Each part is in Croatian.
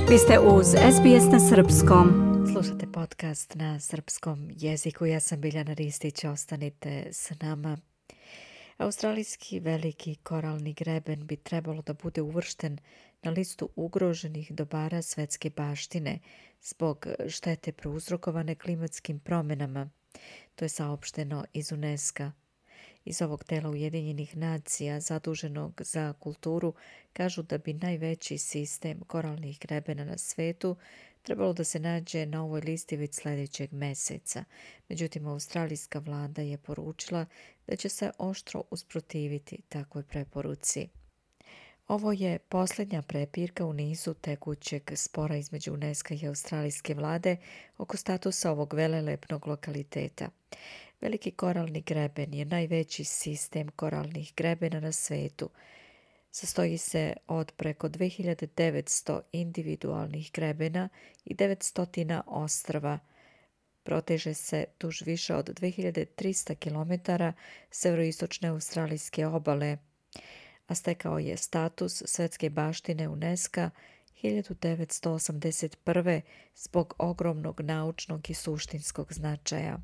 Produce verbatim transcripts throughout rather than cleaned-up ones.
Vi ste uz S B S na srpskom. Slušate podcast na srpskom jeziku. Ja sam Biljana Ristić. Ostanite s nama. Australijski veliki koralni greben bi trebalo da bude uvršten na listu ugroženih dobara svetske baštine zbog štete prouzrokovane klimatskim promjenama. To je saopšteno iz UNESCO. Iz ovog tela Ujedinjenih nacija zaduženog za kulturu kažu da bi najveći sistem koralnih grebena na svetu trebalo da se nađe na ovoj listi već sljedećeg meseca. Međutim, australijska vlada je poručila da će se oštro usprotiviti takvoj preporuci. Ovo je posljednja prepirka u nizu tekućeg spora između UNESCO i australijske vlade oko statusa ovog velelepnog lokaliteta. Veliki koralni greben je najveći sistem koralnih grebena na svetu. Sastoji se od preko dve hiljade devetsto individualnih grebena i devetsto ostrva. Proteže se duž više od dve hiljade trista kilometara severoistočne australijske obale, a stekao je status svetske baštine UNESCO hiljadu devetsto osamdeset prve. zbog ogromnog naučnog i suštinskog značaja.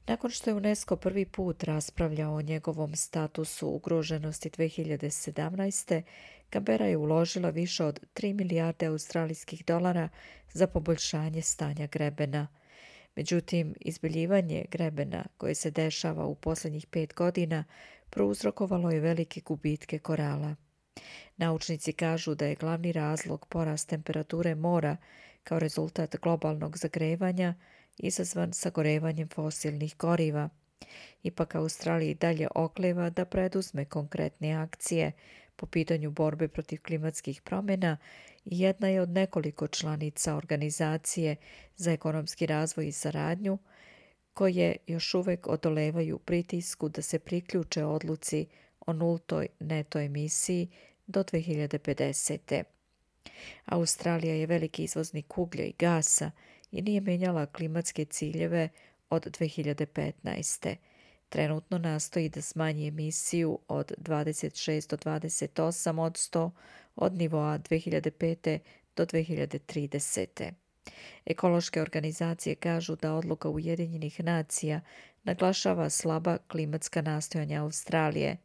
Nakon što je UNESCO prvi put raspravljao o njegovom statusu ugroženosti dve hiljade sedamnaeste. Canberra je uložila više od tri milijarde australijskih dolara za poboljšanje stanja grebena. Međutim, izbeljivanje grebena koje se dešava u posljednjih pet godina prouzrokovalo je velike gubitke korala. Naučnici kažu da je glavni razlog porast temperature mora kao rezultat globalnog zagrevanja izazvan sagorevanjem fosilnih goriva. Ipak Australija i dalje okleva da preduzme konkretne akcije po pitanju borbe protiv klimatskih promjena i jedna je od nekoliko članica Organizacije za ekonomski razvoj i saradnju koje još uvijek odolevaju pritisku da se priključe odluci o nultoj neto emisiji do dve hiljade pedesete. Australija je veliki izvoznik uglja i gasa i nije menjala klimatske ciljeve od dve hiljade petnaeste. Trenutno nastoji da smanji emisiju od dvadeset šest do dvadeset osam posto od nivoa dve hiljade pete. do dve hiljade tridesete. Ekološke organizacije kažu da odluka Ujedinjenih nacija naglašava slaba klimatska nastojanja Australije.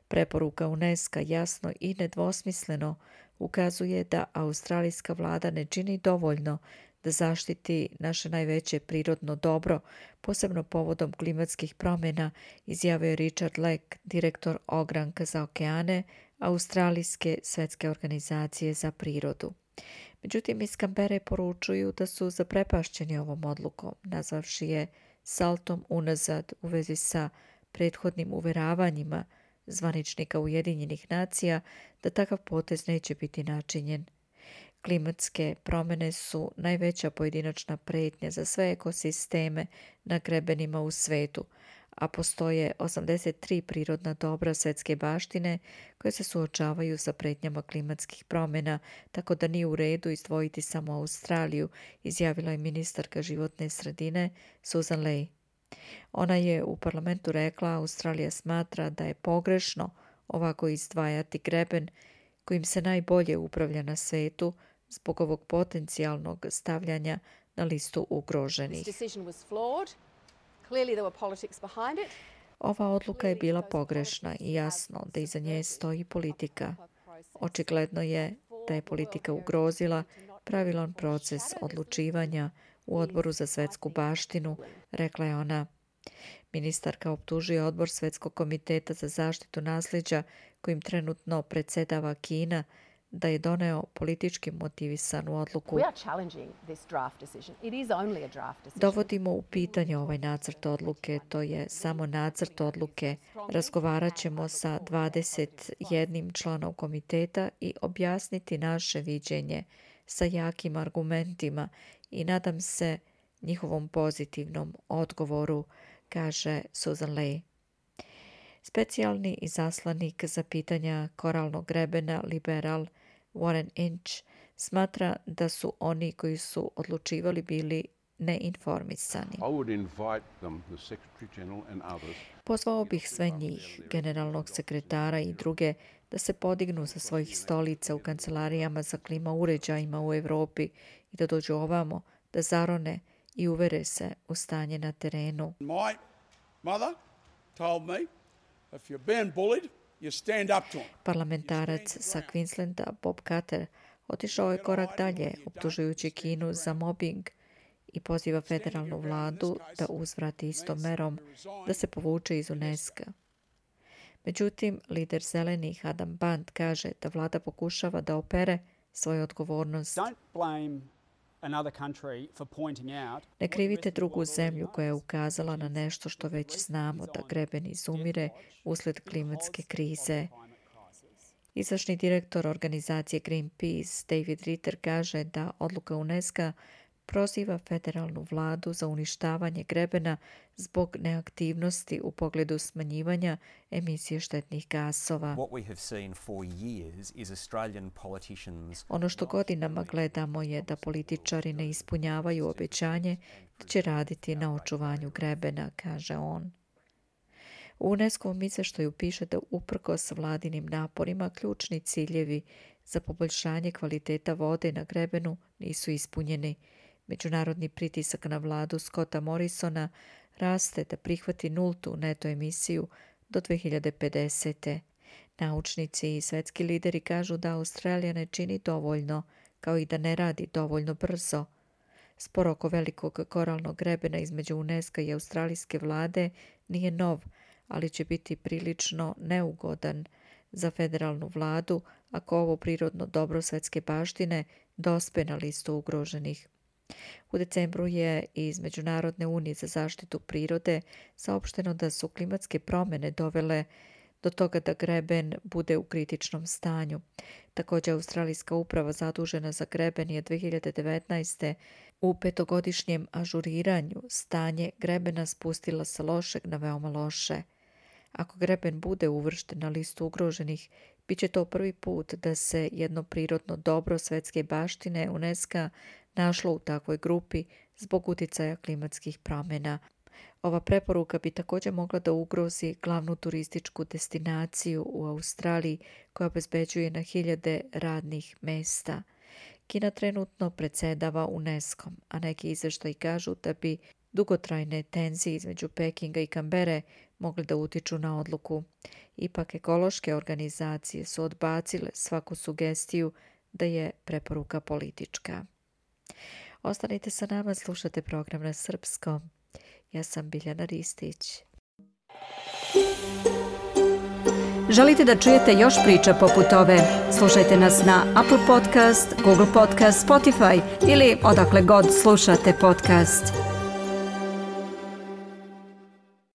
Preporuka UNESCO jasno i nedvosmisleno ukazuje da australijska vlada ne čini dovoljno da zaštiti naše najveće prirodno dobro, posebno povodom klimatskih promjena, izjavio je Richard Leck, direktor ogranka za okeane Australijske svetske organizacije za prirodu. Međutim, iz Canberre poručuju da su zaprepašćeni ovom odlukom, nazvavši je saltom unazad u vezi sa prethodnim uveravanjima zvaničnika Ujedinjenih nacija da takav potez neće biti načinjen. Klimatske promjene su najveća pojedinačna prijetnja za sve ekosisteme na grebenima u svetu, a postoje osamdeset tri prirodna dobra svjetske baštine koje se suočavaju sa prijetnjama klimatskih promjena, tako da nije u redu izdvojiti samo Australiju, izjavila je ministarka životne sredine Susan Ley. Ona je u parlamentu rekla: Australija smatra da je pogrešno ovako izdvajati greben kojim se najbolje upravlja na svetu zbog ovog potencijalnog stavljanja na listu ugroženih. Ova odluka je bila pogrešna i jasno da iza nje stoji politika. Očigledno je da je politika ugrozila pravilan proces odlučivanja u Odboru za svetsku baštinu, rekla je ona. Ministarka optužuje Odbor Svetskog komiteta za zaštitu nasljeđa kojim trenutno predsjedava Kina da je doneo politički motivisanu odluku. Dovodimo u pitanje ovaj nacrt odluke, to je samo nacrt odluke. Razgovarat ćemo sa dvadeset jednim članom komiteta i objasniti naše viđenje sa jakim argumentima i nadam se njihovom pozitivnom odgovoru, kaže Susan Ley. Specijalni izaslanik za pitanja koralnog grebena, liberal Warren Inch, smatra da su oni koji su odlučivali bili neinformisani. Pozvao bih sve njih, generalnog sekretara i druge, da se podignu sa svojih stolica u kancelarijama za klima uređajima u Europi i da dođu ovamo, da zarone i uvere se u stanje na terenu. My mother told me, if you're being bullied, you stand up to them. Parlamentarac sa Queenslanda Bob Carter otišao je korak dalje, optužujući Kinu za mobbing i poziva federalnu vladu da uzvrati istom merom, da se povuče iz UNESCO. Međutim, lider zelenih Adam Band kaže da vlada pokušava da opere svoju odgovornost. Ne krivite drugu zemlju koja je ukazala na nešto što već znamo, da greben izumire usled klimatske krize. Izvršni direktor organizacije Greenpeace David Ritter kaže da odluka UNESCO proziva federalnu vladu za uništavanje grebena zbog neaktivnosti u pogledu smanjivanja emisije štetnih gasova. Ono što godinama gledamo je da političari ne ispunjavaju obećanje da će raditi na očuvanju grebena, kaže on. U UNESCO-vom izveštaju piše da uprkos vladinim naporima ključni ciljevi za poboljšanje kvaliteta vode na grebenu nisu ispunjeni. Međunarodni pritisak na vladu Scotta Morrisona raste da prihvati nultu neto emisiju do dve hiljade pedesete. Naučnici i svetski lideri kažu da Australija ne čini dovoljno, kao i da ne radi dovoljno brzo. Spor oko velikog koralnog grebena između UNESCO i australijske vlade nije nov, ali će biti prilično neugodan za federalnu vladu ako ovo prirodno dobro svetske baštine dospe na listu ugroženih. U decembru je iz Međunarodne unije za zaštitu prirode saopšteno da su klimatske promjene dovele do toga da greben bude u kritičnom stanju. Također, Australijska uprava zadužena za greben je dve hiljade devetnaeste. u petogodišnjem ažuriranju stanje grebena spustila sa lošeg na veoma loše. Ako greben bude uvršten na listu ugroženih, bit će to prvi put da se jedno prirodno dobro svetske baštine UNESCO našlo u takvoj grupi zbog utjecaja klimatskih promjena. Ova preporuka bi također mogla da ugrozi glavnu turističku destinaciju u Australiji koja obezbeđuje na hiljade radnih mesta. Kina trenutno predsjedava UNESCO-om, a neki izvještaji kažu da bi dugotrajne tenzije između Pekinga i Kambere mogle da utiču na odluku. Ipak ekološke organizacije su odbacile svaku sugestiju da je preporuka politička. Ostanite sa nama, slušate program na srpskom. Ja sam Biljana Ristić. Želite da čujete još priča poput ove? Slušajte nas na Apple Podcast, Google Podcast, Spotify ili odakle god slušate podcast.